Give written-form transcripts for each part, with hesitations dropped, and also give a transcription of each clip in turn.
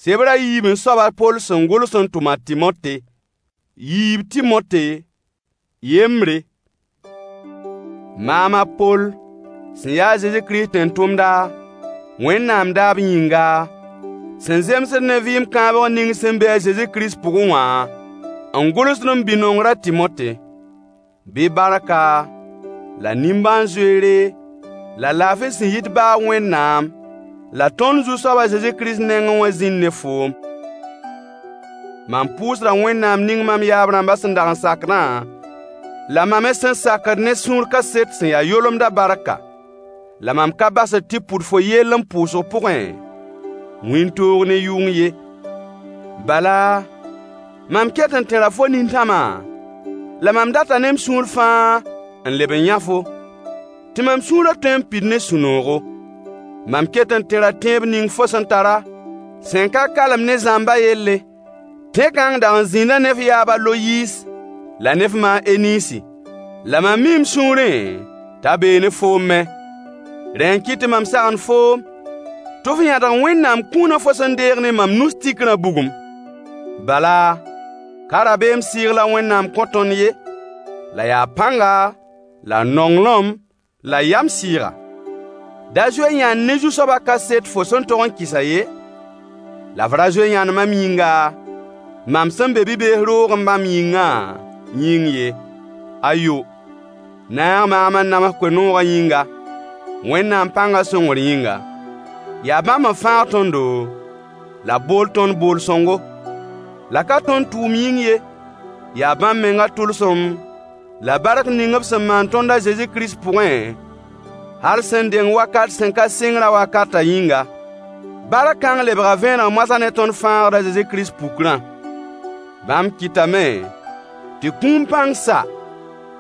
Sebr a yiibẽ soab a Poll sẽn gʋls n tʋm a Tɩmote. Yiib Tɩmote yembre. Maam a Poll, sẽn ya a Zezi Kirist tẽn-tʋmda, Wẽnnaam daab yĩnga, sẽn zemsd ne vɩɩm kãabg ning sẽn be a Zezi Kirist pʋgẽ wã, n gʋlsd m bi-nongr a Tɩmote. Bɩ barka, la nimbãan-zoeere, la laafɩ sẽn yit baab Wẽnnaam la tõnd Zu-soab a Zezi Kirist nengẽ wã zĩnd ne foom. Mam pʋʋsda Wẽnnaam ning mam yaab-rãmbã sẽn dag n sakdã, la mam me sẽn sakd ne sũur kaset sẽn ya yolemdã barka. La mam ka basd tɩ pʋd fo yell m pʋʋsg pʋgẽ wĩntoog ne yʋng ye. Bala, mam ket n tẽra fo nintãmã, la mam data ne m sũur fãa n leb n yã-fo, tɩ mam sũurã tõe n pid ne sũ-noogo. Mam ket n tẽra tẽeb ning fo sẽn tara, sẽn ka kalem ne zãmbã yelle. Tẽ-kãng dag n zĩnda ne f yaab a Loyiis la ne f ma a Enisi. La mam mii m sũurẽ t'a bee ne foom me. Rẽ n kɩt tɩ mam sagend foom tɩ f yãdg Wẽnnaam kũunã fo sẽn deeg ne mam nus tikrã bugum. Bala, ka rabeem sɩɩg la Wẽnnaam kõ tõnd ye, la yaa pãnga, la nonglem, la yam sɩɩga. Da zoe yãnd ne Zu-soabã kaset fo sẽn tog n kɩsã ye, la f ra zoe yãnd mam yĩnga, mam sẽn be bi-bees roogẽ bãmb yĩngã yĩng ye. Ayo! Naag maam n nams koe-noogã yĩnga, Wẽnnaam pãngã sõngr yĩnga. Yaa bãmb n fãag tõndo, la b bool tõnd bool-sõngo. La ka tõnd tʋʋm yĩng ye, yaa bãmb mengã tʋlsem la bark ning b sẽn maan tõnd a Zezi Kirist pʋgẽ, hal sẽn deng wakat sẽn ka sɩngrã wakatã yĩnga. Bark kãng lebga vẽeneg moasã ne tõnd Fãagd a Zezi Kirist pukrã. Bãmb kɩtame tɩ kũum pãng sa,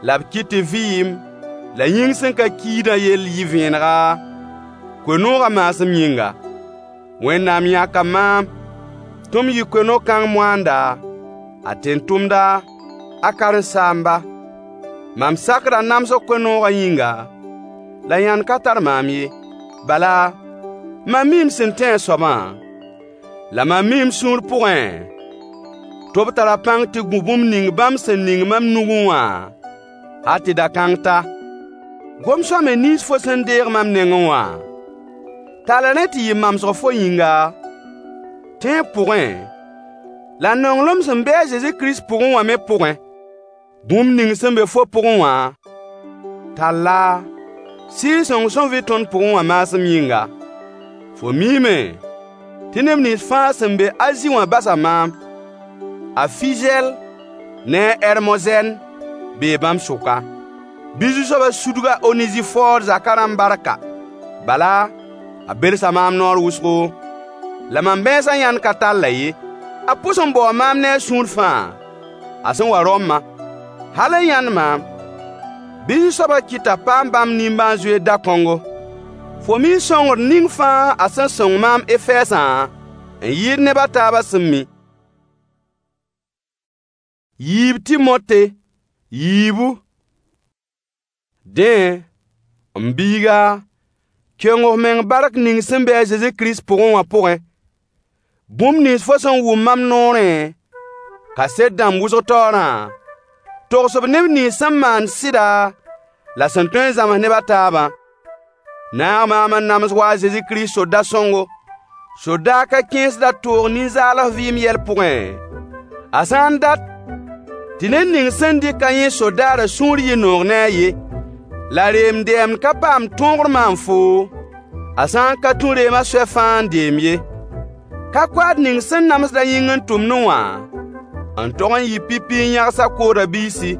la b kɩt tɩ vɩɩm la yĩng sẽn ka kiidã yell yɩ vẽenega, koe-noogã maasem yĩnga. Wẽnnaam yãka maam tɩ m yɩ koe-no-kãng moaanda, a tẽn-tʋmda, a karen-saamba. Mam sakda namsg koe-noogã yĩnga, la yãnd ka tar maam ye. Bala, mam mii m sẽn tẽ a soabã, la mam mii m sũur pʋgẽ tɩ b tara pãng tɩ gũ bũmb ning bãmb sẽn ning mam nugẽ wã hal tɩ da-kãng ta. Gom-sõamy nins fo sẽn deeg mam nengẽ wã, tall rẽ tɩ yɩ mamsg fo yĩnga, tẽeb pʋgẽ, la nonglem sẽn be a Zezi Kirist pʋgẽ wã me pʋgẽ. Bũmb ning sẽn be fo pʋgẽ wã, tall-a Sɩɩg-sõng sẽn vɩ tõnd pʋgẽ wã maasem yĩnga. Fo miime tɩ neb nins fãa sẽn be Azi wã basa maam. A Fizɛl ne a Ɛrmozɛn bee bãmb sʋka. Bɩ Zu-soabã sudg a Onezifoor zakã rãmb barka. Bala, a belsa maam noor wʋsgo, la mam bãensã yãnd ka tall-a ye. A pʋs n baoo maam ne a sũur fãa, a sẽn wa Rɔmbã. Hal n yãnd maam, bɩ Zu-soabã kɩt t'a paam bãmb nimbãan-zoeer da-kõngo. Fo mii sõngr ning fãa a sẽn sõng maam Efɛɛsã n yɩɩd neb a taabã sẽn mi. Yiib Tɩmote yiibu. Dẽ, m biiga, keng f meng bark ning sẽn be a Zezi Kirist pʋgẽ wã pʋgẽ. Bũmb nins fo sẽn wʋm mam noorẽ, kaset dãmb wʋsg taoorã, togs-b neb nins sẽn maand sɩda la sẽn tõe n zãms neb a taabã. Naag maam n nams wa a Zezi Kirist soda-sõngo. Sodaag ka kẽesd a toog nin-zaals vɩɩm yɛl pʋgẽ, a sã n dat tɩ ned ning sẽn dɩk-a yẽ sodaarã sũur yɩ noog ne a ye. La reem-dɛɛmd ka paam tõogr maan foo, a sã n ka tũ reemã soay fãa n deem ye. Ka koaad ning sẽn namsd a yĩng n tʋmdẽ wã n tog n yɩ pipi n yãgs a kooda biisi.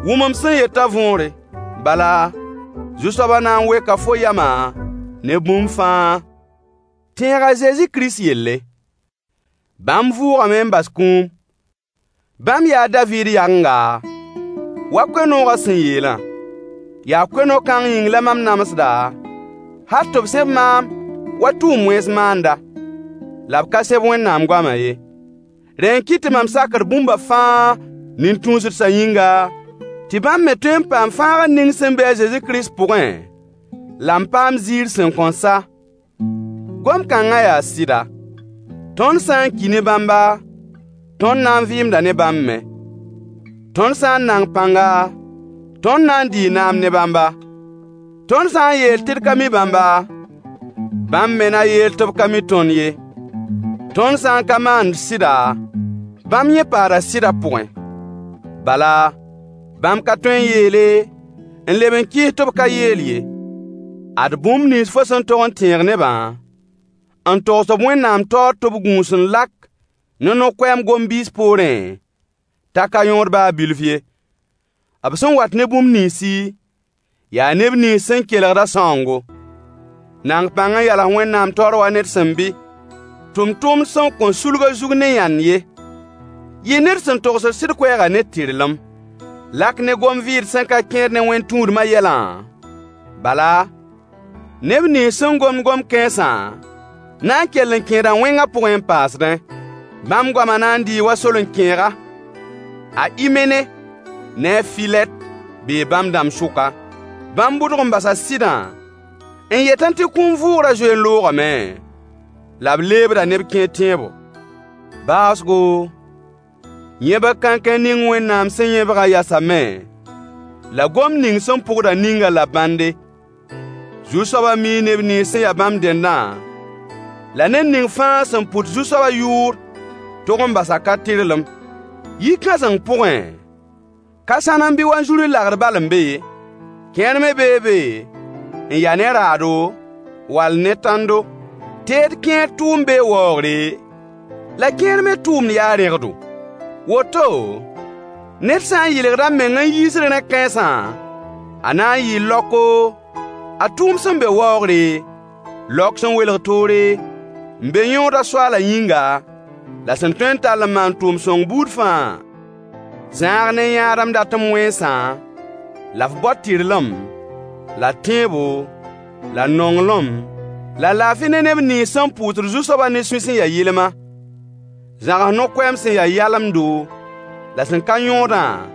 Wʋm m sẽn yetã võore. Bala, Zu-soabã na n weka fo yamã ne bũmb fãa. Tẽeg a Zezi Kirist yelle. Bãmb vʋʋgame n bas kũum. Bãmb yaa a Daviid yagenga, wa koe-noogã sẽn yeelã. Yaa koe-no-kãng yĩng la mam namsda, hal tɩ b sẽb maam wa tʋʋm-wẽns maanda. La b ka sẽb Wẽnnaam goamã ye. Rẽ n kɩt tɩ mam sakd bũmba fãa nin-tũusdsã yĩnga, tɩ bãmb me tõe n paam fãagr ning sẽn be a Zezi Kirist pʋgẽ, la n paam ziir sẽn kõn sa. Gom-kãngã yaa sɩda. Tõnd sã n ki ne bãmba, tõnd na n vɩɩmda ne bãmb me. Tõnd sã n nang pãnga, tõnd na n dii naam ne bãmba. Tõnd sã n yeel tɩ d ka mi bãmba, bãmb me na yeel tɩ b ka mi tõnd ye. Tõnd sã n ka maand sɩda, bãmb yẽ paada sɩdã pʋgẽ. Bala, bãmb ka tõe n yeele n leb n kɩɩs tɩ b ka yeel ye. Ad bũmb nins fo sẽn tog n tẽeg nebã, n togs-b Wẽnnaam taoor tɩ b gũus n lak ne no-koɛɛm gom-biis poorẽ, t'a ka yõod baa bilf ye. B sẽn wat ne bũmb ninsi, yaa neb nins sẽn kelgdã sãoongo. Nang pãng n yals Wẽnnaam taoor wa ned sẽn bɩ, tʋmtʋmd sẽn kõn sulg a zug ne yãnd ye. Yɩ ned sẽn togsd sɩd koɛɛgã ne tɩrlem. Lak ne gom-vɩɩd sẽn ka kẽed ne wẽn-tũudmã yɛlã, bala, neb nins sẽn gomd gom-kãensã na n kell n kẽeda wẽngã pʋgẽ n paasdẽ. Bãmb goamã na n dɩɩ wa soleng-kẽega. A Imene ne a Filɛt bee bãmb dãmb sʋka. Bãmb bʋdg n basa sɩdã n yetẽ tɩ kũum vʋʋgrã zoe n loogame, la b leebda neb kẽer tẽebo. Baoosgo, yẽbg kãnkẽ ning Wẽnnaam sẽn yẽbgã yasame, la gomd ning sẽn pʋgdã ninga la bãnde. Zu-soabã mii neb nins sẽn ya bãmb dẽndã, la ned ning fãa sẽn pʋt Zu-soabã yʋʋr tog n basa ka-tɩrlem. Yi-kãseng pʋgẽ, ka sãnem bɩ wanzuri lagr bal n be ye. Kẽer me bee be n ya ne raado, wall ne tãndo. Teed kẽer tʋʋmd bee waoogre, la kẽer me tʋʋmd yaa rẽgdo. Woto, ned sã n yɩlgd a meng n yiisd rẽ-kãensã, a na n yɩɩ laoko a tʋʋmd sẽn be waoogre, laok sẽn welg toore, n be yõodã Soaalã yĩnga, la sẽn tõe n tall n maan tʋʋm-sõng buud fãa. Zãag ne yãadem datem wẽnsã, la f bao tɩrlem, la tẽebo, la nonglem, la laafɩ ne neb nins sẽn pʋʋsd Zu-soabã ne sũy sẽn ya yɩlma. Zãgs no-koɛɛm sẽn ya yalemdo la sẽn ka yõodã,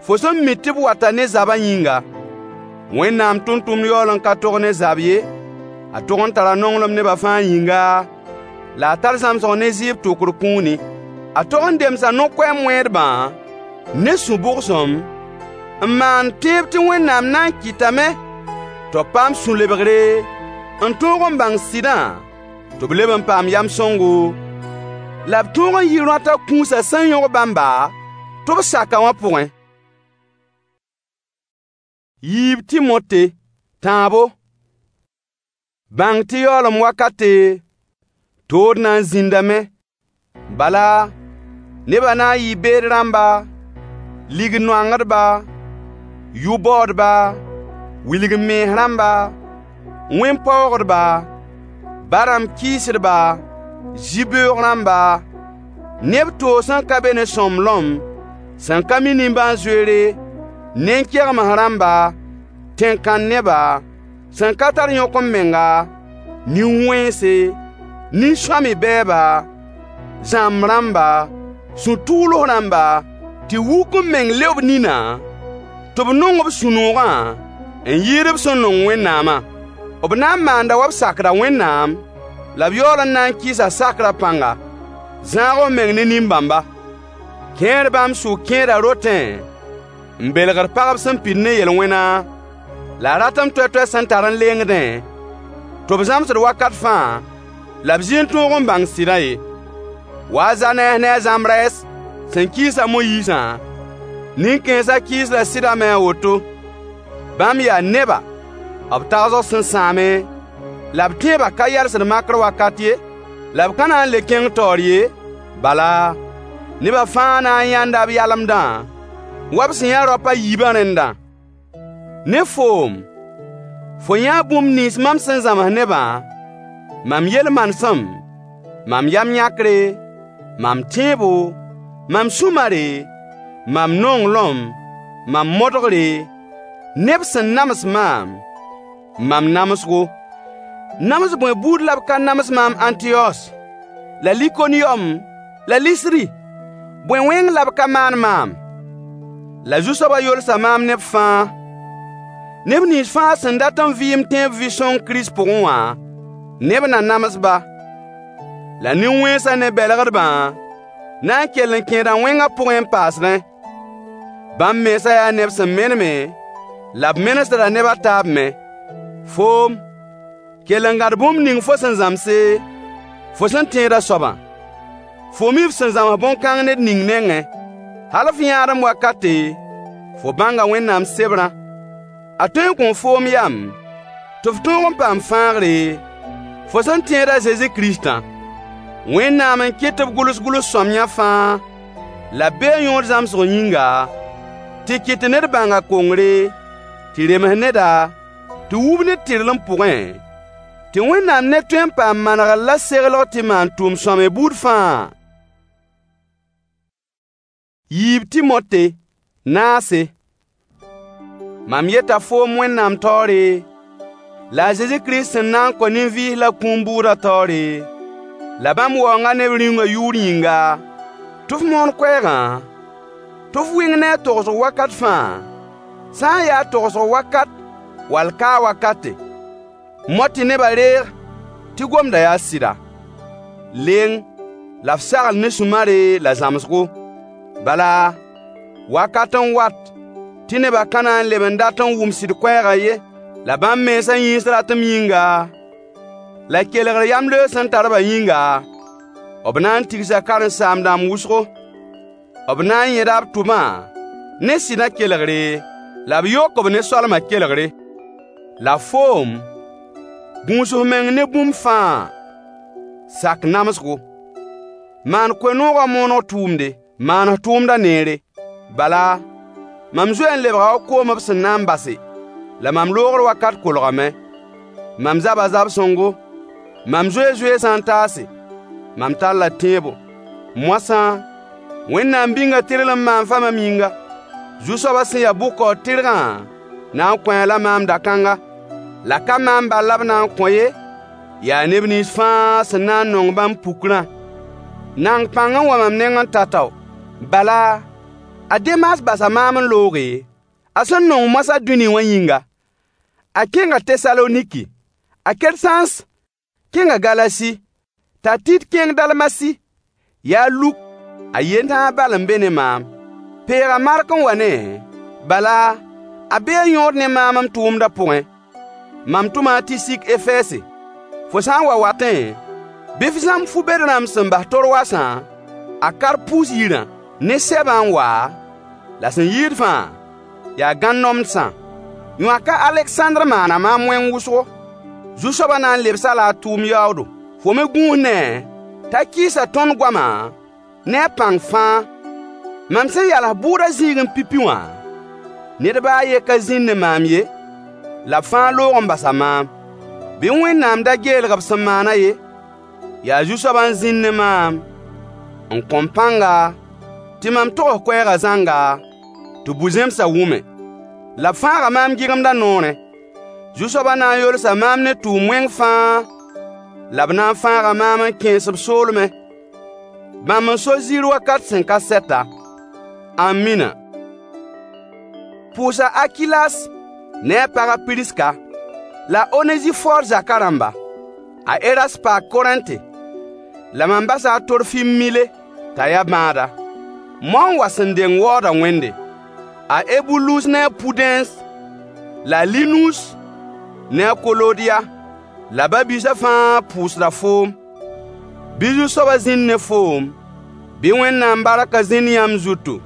fo sẽn mi tɩ b wata ne zabã yĩnga. Wẽnnaam tʋmtʋmd yaool n ka tog ne zab ye, a tog n tara nonglem neba fãa yĩnga, la a tar zãmsg ne zɩɩb tokr kũuni. A tog n demsa no-koɛɛm wẽedbã ne sũ-bʋgsem, n maan tẽeb tɩ Wẽnnaam na n kɩtame tɩ b paam sũ-lebgre n tõog n bãng sɩdã tɩ b leb n paam yam sõngo, la b tõog n yi rõatã kũusã sẽn yõg bãmba tɩ b saka wã pʋgẽ. Yiib Timote, tãabo. Bãng tɩ yaoolem wakate, tood na n zĩndame. Bala, nebã na n yɩɩ beed rãmba, lig-noangdba, yʋ-baoodba, wilg-m-mens rãmba, wẽn-paoogdba, ba-rãmb kɩɩsdba, zĩ-beoog rãmba, neb toog sẽn ka be ne sõmblem, sẽn ka mi nimbãan-zoeere, nen-kegems rãmba, tẽn-kãn-neba, sẽn ka tar yõk-m-menga, nin-wẽnse, nin-sõamy-bɛɛba, zãmb rãmba, sũ-tʋʋls rãmba, tɩ wuk m meng leo b ninã, tɩ b nong b sũ-noogã n yɩɩd b sẽn nong Wẽnnaamã. B na n maanda wa b sakda Wẽnnaam, la b yaool n na n kɩɩsa sakrã pãnga. Zãag f meng ne nin-bãmba. Kẽer bãmb sʋk kẽeda rotẽ n belgd pagb sẽn pid ne yel-wẽna, la ratem toɛ-toɛ sẽn tar n lengdẽ, tɩ b zãmsd wakat fãa, la b zĩ n tõog n bãng sɩdã ye. Wa a Zanɛs ne a Zãmbrɛs sẽn kɩɩs a Moyiisã, nin-kãensã kɩɩsda sɩdã me a woto. Bãmb yaa neba, b tagsg sẽn sãame, la b tẽebã ka yalsd makr wakat ye, la b ka na n le kẽng taoor ye, bala, nebã fãa na n yãnda b yalemdã, wa b sẽn yã raop a yiibã rẽndã. Ne foom, fo yãa bũmb nins mam sẽn zãms nebã, mam yel-manesem, mam yam yãkre, mam tẽebo, mam sũ-mare, mam nonglem, mam modgre, neb sẽn nams maam, mam namsgo. Nams bõe buud la b ka nams maam Ãntiyos, la Likoniyom, la Lisri? Bõe wẽng la b ka maan maam? La Zu-soabã yolsa maam ne b fãa. Neb nins fãa sẽn dat n vɩɩm tẽeb vɩ-sõng Kirist pʋgẽ wã, neb na nams-ba. La nin-wẽnsã ne bɛlgdbã na n kell n kẽeda wẽngã pʋgẽ n paasdẽ. Bãmb mensã yaa neb sẽn meneme, la b menesda neb a taab me. Foom, kell n gãd bũmb ning fo sẽn zãmse, fo sẽn tẽedã soabã. Fo mi f sẽn zãms bõn-kãng ned ning nengẽ. Hal f yãadem wakate, fo bãnga Wẽnnaam sebrã. A tõe n kõo foom yam tɩ f tõog n paam fãagre, fo sẽn tẽed a Zezi Kiristã. Wẽnnaam n kɩt tɩ b gʋls gʋls-sõamyã fãa, la b bee yõod zãmsg yĩnga, tɩ kɩt tɩ ned bãng a kongre, tɩ rems neda, tɩ wub ned tɩrlem pʋgẽ, tɩ Wẽnnaam ned tõe n paam manegr la seglg tɩ maan tʋʋm-sõamy buud fãa. Yiib Timote, naase. Mam yeta foom Wẽnnaam taoore, la a Zezi Kirist sẽn na n kõ nin-vɩɩs la kũum bʋʋdã taoore, la bãmb waoongã ne b Rĩungã yʋʋr yĩnga, tɩ f moon koɛɛgã, tɩ f wɩng ne a togsg wakat fãa, sã n yaa togsg wakat wall ka wakate. Mao tɩ nebã reeg tɩ gomdã yaa sɩda. Leng la f sagl ne sũ-mare la zãmsgo. Bala, wakat n wat tɩ nebã ka na n leb n dat n wʋm sɩd koɛɛgã ye. La bãmb mensã yĩns ratem yĩnga, la kelgr yamleoog sẽn tar-bã yĩnga, b na n tigsa karen-saam-dãmb wʋsgo. B na n yẽda b tʋmã ne sɩdã kelgre, la b yok-b ne soalmã kelgre. La foom, gũus f meng ne bũmb fãa. Sak namsgo. Maan koe-noogã mooneg tʋʋmde. Maan f tʋʋmdã neere. Bala, mam zoe n lebga wa koom b sẽn na n base, la mam loogr wakat kolgame. Mam zaba zab-sõngo, mam zoe zoeesã n taase, mam talla tẽebo. Moasã, Wẽnnaam bĩnga tɩrlem maam fa mam yĩnga. Zu-soabã sẽn ya bʋ-kaood-tɩrgã na n kõ-a la maam da-kãnga. La ka maam bal la b na n kõ ye, yaa neb nins fãa sẽn na n nong bãmb pukrã. Nang pãng n wa mam nengẽ tao-tao. Bala, a Demas basa maam n looge, a sẽn nong moasã dũni wã yĩnga. A kẽnga Tesaloniki. A Kersãns kẽnga Galasi, t'a Tit kẽng Dalmasi. Yaa Luk, a yen tãa bal n be ne maam. Peeg a Mark n wa ne-a, bala, a bee yõod ne maam m tʋʋmdã pʋgẽ. Mam tʋma a Tisik Efɛɛse. Fo sã n wa watẽ, bɩ f zãmb fu-bed rãmb sẽn bas Torwasã, a Karpus yirã, ne sɛbã n wa, la sẽn yɩɩd fãa, yaa gãn-nomdsã. Yõak a Alegsãndr maana maam wẽng wʋsgo. Zu-soabã na n lebs-a-la a tʋʋm yaoodo. Fo me gũus ne-a t'a kɩɩsa tõnd goamã ne a pãng fãa. Mam sẽn yals bʋʋdã zĩigẽ pipi wã, ned baa a yen ka zĩnd ne maam ye, la b fãa loog n basa maam. Bɩ Wẽnnaam da geelg b sẽn maanã ye. Yaa Zu-soabã n zĩnd ne maam, n kõ-m pãnga tɩ mam togs koɛɛgã zãnga, tɩ bu-zẽmsã wʋme. La b fãaga maam gɩgemdã noorẽ. Zu-soabã na n yolsa maam ne tʋʋm wẽng fãa, la b na n fãaga maam n kẽes b soolmẽ. Bãmb n so ziir wakat sẽn ka sɛta. Ãmina. Pʋʋsa Akilas ne a pag a Piriska, la a Onezifor zakã rãmba. A Erast paa Korẽnte, la mam basa a Torfim Mile t'a ya bãada. Moa n wa sẽn deng waoodã Wẽnde. A Ebulus ne a Pudẽns, la a Linus ne a Kolodiya, la ba-biisã fãa pʋʋsda foom. Bɩ Zu-soabã zĩnd ne foom. Bɩ Wẽnnaam barkã zĩnd yãmb zutu.